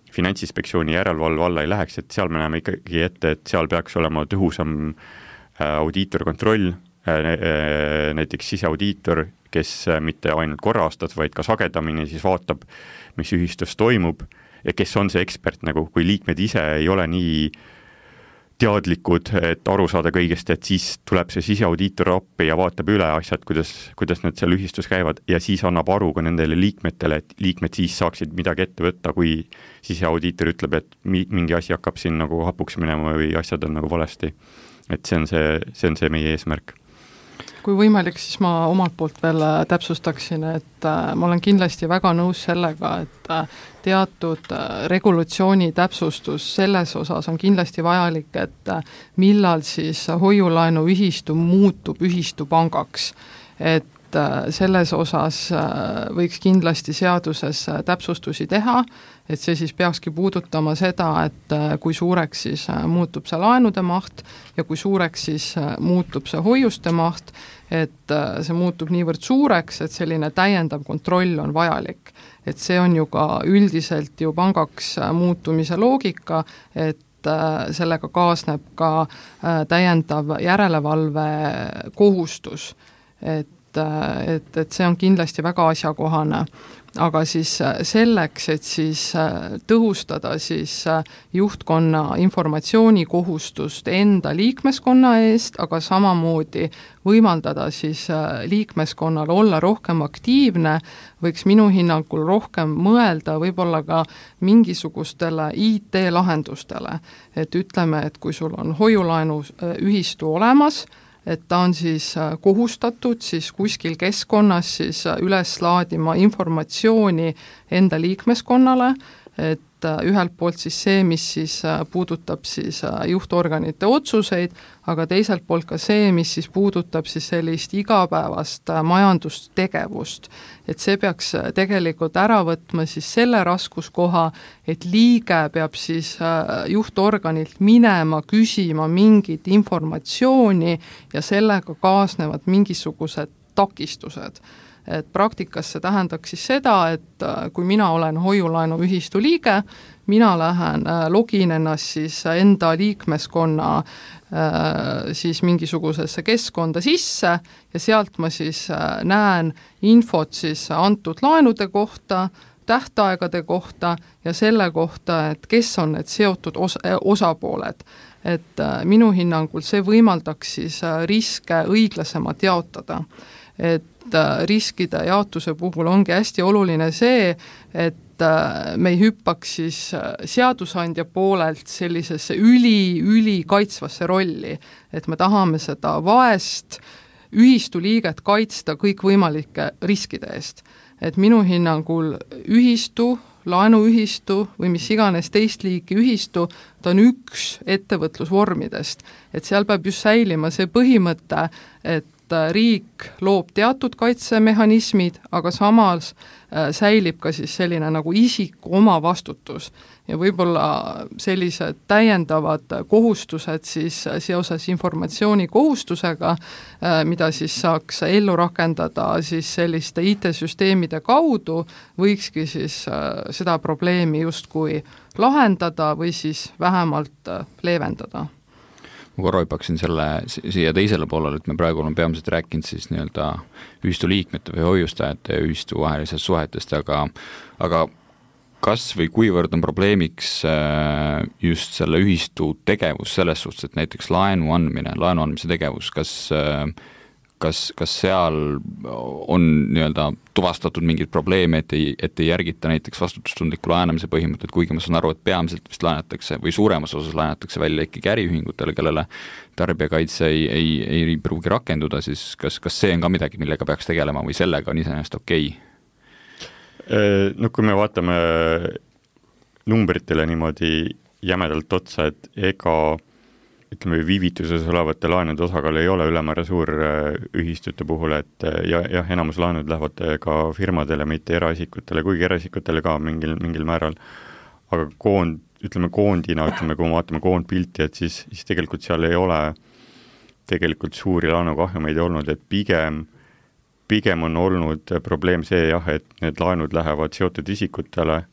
Finantsinspektsiooni järelevalve alla ei läheks, et seal me näeme ikkagi ette, et seal peaks olema tõhusam audiitorkontroll, näiteks siseaudiitor, kes mitte ainult korra aastas, vaid ka sagedamini siis vaatab, mis ühistus toimub ja kes on see ekspert, nagu kui liikmed ise ei ole nii teadlikud, et aru saada kõigest, et siis tuleb see siseaudiitor appi ja vaatab üle asjad, kuidas, kuidas need seal ühistus käivad ja siis annab aru ka nendele liikmetele, et liikmed siis saaksid midagi ette võtta, kui siseaudiitor ütleb, et mingi asi hakkab siin nagu hapuks minema või asjad on nagu valesti. Et see on see, see on see meie eesmärk. kui võimalik, siis ma omalt poolt veel täpsustaksin, et ma olen kindlasti väga nõus sellega, et teatud regulatsiooni täpsustus selles osas on kindlasti vajalik, et millal siis hoiulaenuühistu muutub ühistupangaks. Et selles osas võiks kindlasti seaduses täpsustusi teha, et see siis peakski puudutama seda, et kui suureks siis muutub see laenude maht ja kui suureks siis muutub see hoiuste maht, et see muutub niivõrd suureks, et selline täiendav kontroll on vajalik. Et see on ju ka üldiselt ju pangaks muutumise loogika, et sellega kaasneb ka täiendav järelevalve kohustus, et et, et see on kindlasti väga asjakohane. Aga siis selleks, et siis tõhustada siis juhtkonna informatsioonikohustust enda liikmeskonna eest, aga samamoodi võimaldada siis liikmeskonnal olla rohkem aktiivne, võiks minu hinnangul rohkem mõelda võib-olla ka mingisugustele I T-lahendustele. Et ütleme, et kui sul on hoiulaenu ühistu olemas, et ta on siis kohustatud siis kuskil keskkonnas siis üles laadima informatsiooni enda liikmeskonnale, et ühelt poolt siis see, mis siis puudutab siis juhtorganite otsuseid, aga teiselt poolt ka see, mis siis puudutab siis sellist igapäevast majandustegevust. Et see peaks tegelikult ära võtma siis selle raskuskoha, et liige peab siis juhtorganilt minema küsima mingit informatsiooni ja sellega kaasnevad mingisugused takistused. Et praktikas see tähendaks siis seda, et kui mina olen hoiulaenuühistu liige, mina lähen login ennast siis enda liikmeskonna siis mingisugusesse keskkonda sisse ja sealt ma siis näen infot siis antud laenude kohta, tähtaegade kohta ja selle kohta, et kes on need seotud os- osapooled. Et minu hinnangul see võimaldaks siis riske õiglasemalt jaotada. Et riskide jaotuse puhul ongi hästi oluline see, et me ei hüppaks siis seadusandja poolelt sellisesse üli-üli kaitsvasse rolli, et me tahame seda vaest ühistu liiget kaitsta kõikvõimalike riskide eest. Et minu hinnangul ühistu, laenuühistu või mis iganes teist liiki ühistu, ta on üks ettevõtlusvormidest. Et seal peab just säilima see põhimõte, et riik loob teatud kaitsemehhanismid, aga samas säilib ka siis selline nagu isiku oma vastutus ja võib-olla sellised täiendavad kohustused siis seoses informatsiooni kohustusega, mida siis saaks ellu rakendada siis selliste I T-süsteemide kaudu, võikski siis seda probleemi justkui lahendada või siis vähemalt leevendada. Ma korra hüppaksin selle siia teisele poolele, et me praegu oleme peamiselt rääkinud siis nii-öelda ühistu liikmete või hoiustajate ja ühistu vahelisest suhetest, aga, aga kas või kuivõrd on probleemiks just selle ühistu tegevus selles suhtes, et näiteks laenu andmine, laenu andmise tegevus, kas, kas, kas seal on nii-öelda tuvastatud mingid probleeme, et ei, et ei järgita näiteks vastutustundliku laenamise põhimõtted, kuigi ma saan aru, et peamiselt vist laenatakse või suuremas osas laenatakse välja ikkagi äriühingutele, kellele tarbijakaitse ei, ei, ei pruugi rakenduda, siis kas, kas see on ka midagi, millega peaks tegelema või sellega on iseenesest okei? No kui me vaatame numbritele niimoodi jämedalt otsa, et ega ütleme, viivituses olevate laenude osakaal ei ole ülemäära suur ühistute puhul, et ja, jah, enamus laenud lähevad ka firmadele, mitte eraisikutele, kuigi eraisikutele ka mingil, mingil määral, aga koond, ütleme koondina, ütleme, kui me vaatame koondpilti, et siis, siis tegelikult seal ei ole tegelikult suuri laenukahjumeid olnud, et pigem, pigem on olnud probleem see jah, et need laenud lähevad seotud isikutele,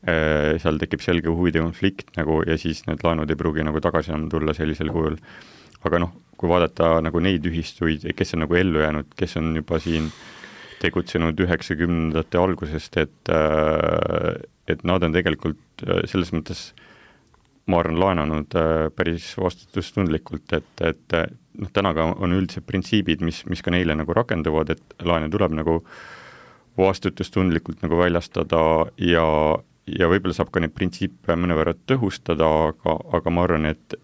seal tekib selge huvide konflikt nagu, ja siis need laenud ei pruugi nagu tagasi enam tulla sellisel kujul. Aga noh, kui vaadata nagu neid ühistuid, kes on nagu ellu jäänud, kes on juba siin tegutsenud üheksakümnendate algusest, et, et nad on tegelikult selles mõttes, ma arvan, laenanud päris vastutustundlikult, et, et noh, tänaga on üldised printsiibid, mis, mis ka neile nagu rakenduvad, et laene tuleb nagu vastutustundlikult nagu väljastada ja ja võib-olla saab ka neid printsiipe mõnevõrra tõhustada, aga, aga ma arvan, et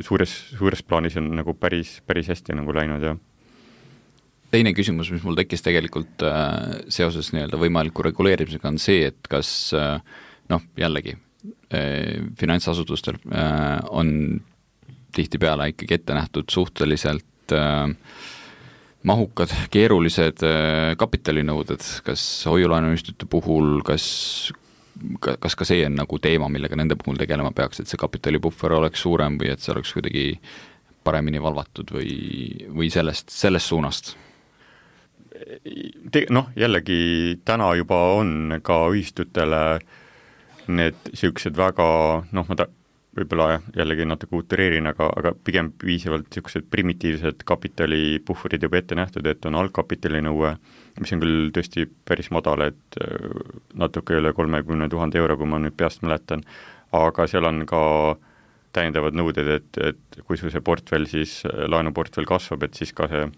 suures, suures plaanis on nagu päris, päris hästi nagu läinud, jah. teine küsimus, mis mul tekkis tegelikult äh, seoses nii-öelda võimaliku reguleerimisega, on see, et kas äh, noh, jällegi äh, finantsasutustel äh, on tihtipeale ikkagi ette nähtud suhteliselt äh, mahukad, keerulised äh, kapitalinõuded, kas hoiulaenuühistute puhul, kas kas ka see on nagu teema, millega nende puhul tegelema peaks, et see kapitalipuhver oleks suurem või et see oleks kuidagi paremini valvatud või, või sellest, sellest suunast? Noh, jällegi täna juba on ka ühistutele need niisugused väga, noh, ma ta, võib-olla jällegi natuke utereerin, aga, aga pigem piisavalt niisugused primitiivsed kapitalipuhverid juba ette nähtud, et on algkapitalinõue, mis on küll tõesti päris madal, et natuke üle kolmekümne tuhande euro, kui ma nüüd peast mäletan, aga seal on ka täiendavad nõuded, et, et kui sul see portfell siis, laenuportfell kasvab, et siis ka see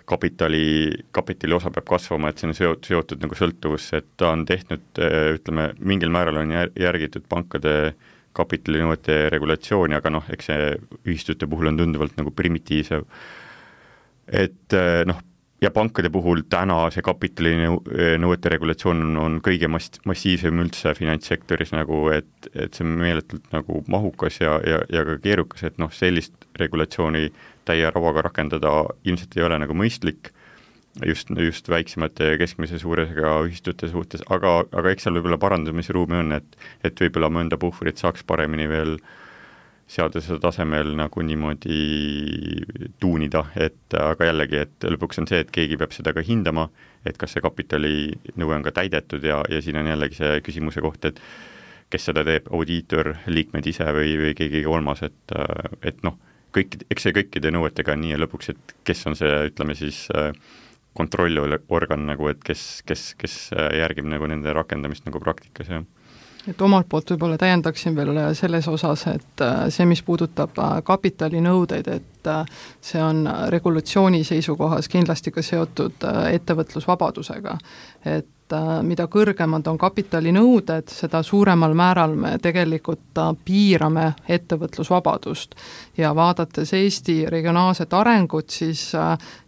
kapitali, kapitali osa peab kasvama, et see on seotud, seotud nagu sõltuvusse, et ta on tehtud, ütleme, mingil määral on järgitud pankade kapitalinõuete regulatsiooni, aga noh, eks see ühistute puhul on tunduvalt nagu primitiivsem. Et noh, ja pankade puhul täna see kapitalinõuete regulatsioon on, on kõige mass, massiivsem üldse finantssektoris nagu, et, et see on meeletult nagu mahukas ja, ja, ja ka keerukas, et noh, sellist regulatsiooni täie ravaga rakendada ilmselt ei ole nagu mõistlik just, just väiksemate ja keskmise suuresega ühistute suhtes, aga, aga eks seal võib-olla parandamisruumi on, et, et võib-olla mõnda puhvrit saaks paremini veel seaduse tasemel nagu niimoodi tuunida, et aga jällegi, et lõpuks on see, et keegi peab seda ka hindama, et kas see kapitalinõue on ka täidetud ja, ja siin on jällegi see küsimuse koht, et kes seda teeb, audiitor, liikmed ise või, või keegi kolmas, et, et noh, kõik, eks see kõikide nõuetega on nii ja lõpuks, et kes on see, ütleme siis kontrollorgan nagu, et kes, kes, kes järgib nagu nende rakendamist nagu praktikas, jah. Et omalt poolt võib-olla täiendaksin veel selles osas, et see, mis puudutab kapitalinõudeid, et see on regulatsiooni seisukohas kindlasti ka seotud ettevõtlusvabadusega. Et mida kõrgemad on kapitalinõuded, seda suuremal määral me tegelikult piirame ettevõtlusvabadust. Ja vaadates Eesti regionaalset arengut, siis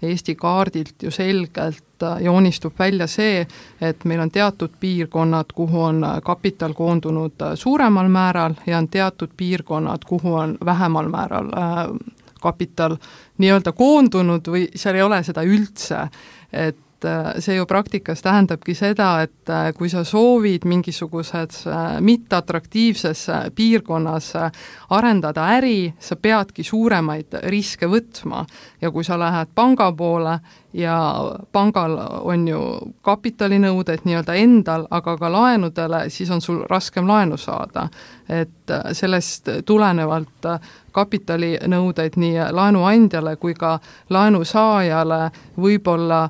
Eesti kaardilt ju selgelt joonistub välja see, et meil on teatud piirkonnad, kuhu on kapital koondunud suuremal määral ja on teatud piirkonnad, kuhu on vähemal määral kapital nii-öelda koondunud või seal ei ole seda üldse, et see ju praktikas tähendabki seda, et kui sa soovid mingisuguses mitteatraktiivses piirkonnas arendada äri, sa peadki suuremaid riske võtma ja kui sa lähed panga poole ja pangal on ju kapitalinõuded nii-öelda endal, aga ka laenudele, siis on sul raskem laenu saada. Et sellest tulenevalt kapitalinõudeid nii laenuandjale kui ka laenusaajale võib-olla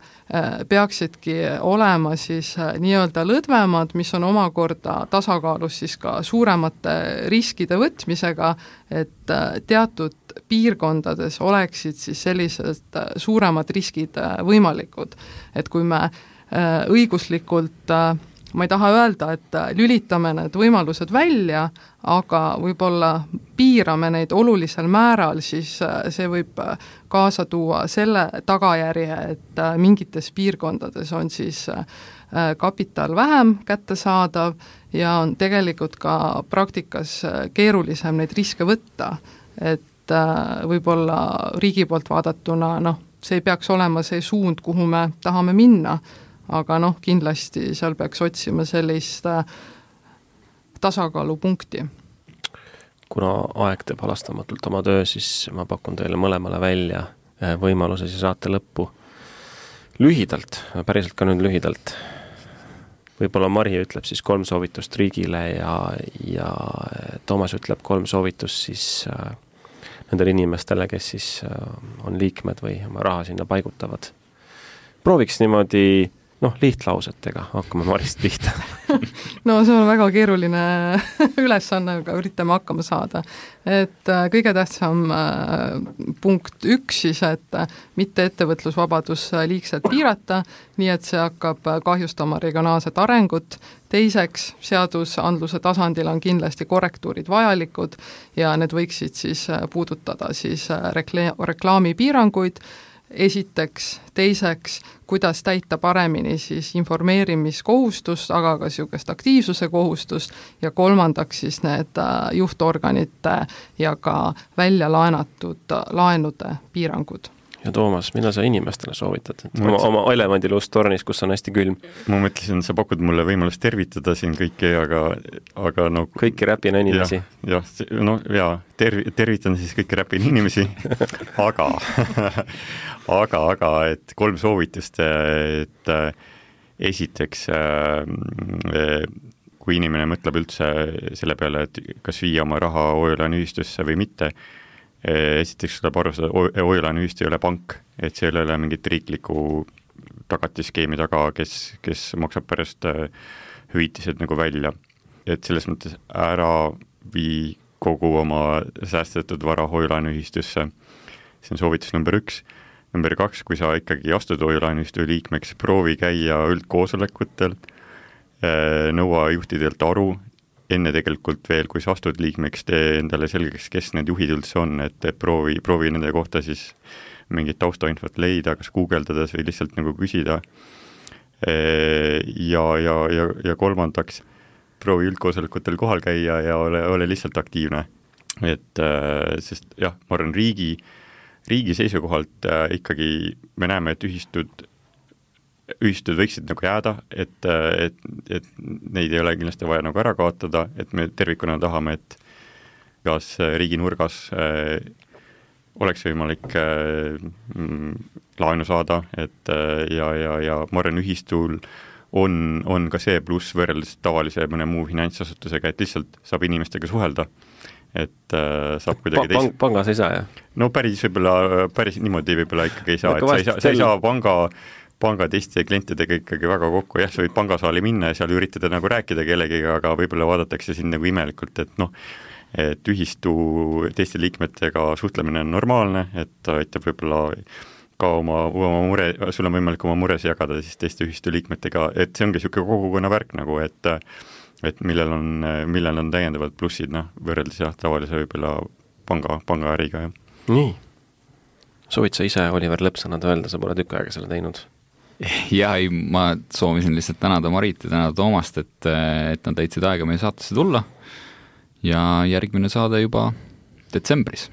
peaksidki olema siis nii-öelda lõdvemad, mis on omakorda tasakaalus siis ka suuremate riskide võtmisega, et teatud piirkondades oleksid siis sellised suuremad riskid võimalikud. Et kui me õiguslikult, ma ei taha öelda, et lülitame need võimalused välja, aga võib-olla piirame neid olulisel määral, siis see võib kaasa tuua selle tagajärje, et mingites piirkondades on siis kapital vähem kättesaadav ja on tegelikult ka praktikas keerulisem neid riske võtta, et võib-olla riigi poolt vaadatuna, noh, see ei peaks olema see suund, kuhu me tahame minna, aga noh, kindlasti seal peaks otsima sellist tasakaalupunkti. Kuna aeg teeb halastamatult oma töö, siis ma pakun teile mõlemale välja võimaluse siis saate lõppu lühidalt, päriselt ka nüüd lühidalt. Võib-olla Mari ütleb siis kolm soovitust riigile ja, ja Toomas ütleb kolm soovitust siis nendele inimestele, kes siis on liikmed või oma raha sinna paigutavad. Prooviks niimoodi, noh, lihtlausetega, hakkame Marist pihta. No see on väga keeruline ülesanne, aga üritame hakkama saada. Et kõige tähtsam punkt üks siis, et mitte ettevõtlusvabadus liigselt piirata, nii et see hakkab kahjustama regionaalset arengut. Teiseks, seadusandluse tasandil on kindlasti korrektuurid vajalikud ja need võiksid siis puudutada siis rekla- reklaamipiiranguid esiteks, teiseks, kuidas täita paremini siis informeerimiskohustust, aga ka niisugust aktiivsuse kohustust ja kolmandaks siis need juhtorganite ja ka välja laenatud laenude piirangud. Ja Toomas, mida sa inimestele soovitad? Et oma, oma elevandiluust tornis, kus on hästi külm. Ma mõtlesin, sa pakud mulle võimalust tervitada siin kõiki, aga, aga no... Kõiki räpina inimesi. Jah, ja, no jaa, terv, tervitan siis kõiki räpina inimesi, aga, aga, aga, et kolm soovitust, et esiteks, kui inimene mõtleb üldse selle peale, et kas viia oma raha hoiulaenuühistusse või mitte, esiteks tuleb arvestada, hoiulaenuühistu ei ole pank, et see ei ole mingit riikliku tagatiskeemi taga, kes, kes maksab pärast hüvitised nagu välja. Et selles mõttes ära vii kogu oma säästetud vara hoiulaenuühistusse. See on soovitus number üks. Number kaks, kui sa ikkagi astud hoiulaenuühistu liikmeks, proovi käia üldkoosolekutel, nõua juhtidelt aru, enne tegelikult veel, kui sa astud liikmeks, tee endale selgeks, kes need juhid üldse on, et proovi, proovi nende kohta siis mingit taustainfot leida, kas guugeldades või lihtsalt nagu küsida. Ja, ja, ja, ja kolmandaks, proovi üldkoosolekutel kohal käia ja ole, ole lihtsalt aktiivne. Et, sest jah, ma arvan, riigi, riigi seisukohalt ikkagi me näeme, et ühistud ühistud võiksid nagu jääda, et, et, et neid ei ole kindlasti vaja nagu ära kaotada, et me tervikuna tahame, et kas riigi nurgas äh, oleks võimalik äh, laenu saada, et äh, ja, ja, ja ma arvan, ühistul on, on ka see pluss võrreldes tavalise mõne muu finantsasutusega, et lihtsalt saab inimestega suhelda, et äh, saab kuidagi teist... Pangas ei saa, jah? No päris võib-olla, päris niimoodi võib-olla ikkagi ei saa, et sa ei saa, sa ei saa panga panga teiste klientidega ikkagi väga kokku, jah, sa võid pangasaali minna ja seal üritada nagu rääkida kellegiga, aga võib-olla vaadatakse siin nagu imelikult, et noh, et ühistu teiste liikmetega suhtlemine on normaalne, et aitab võib-olla ka oma, oma mure, sul on võimalik oma mures jagada siis teiste ühistu liikmetega, et see ongi niisugune kogukonna värk nagu, et et millel on, millel on täiendavad plussid, noh, võrreldes jah, tavalise võib-olla panga, pangaäriga, jah. Nii. Soovid sa ise, Oliver, lõppsõnad öelda, sa pole tükk aega selle teinud? Ja ei, ma soovisin lihtsalt tänada Marit ja tänada Toomast, et, et nad täitsid aega meie saatesse tulla ja järgmine saade juba detsembris.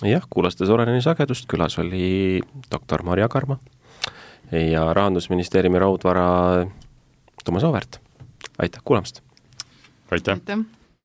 Jah, kuulasite Soreneni sagedust, külas oli doktor Mari Agarma ja Rahandusministeeriumi raudvara Toomas Auväärt. Aitäh kuulamast! Aitäh! Aitäh.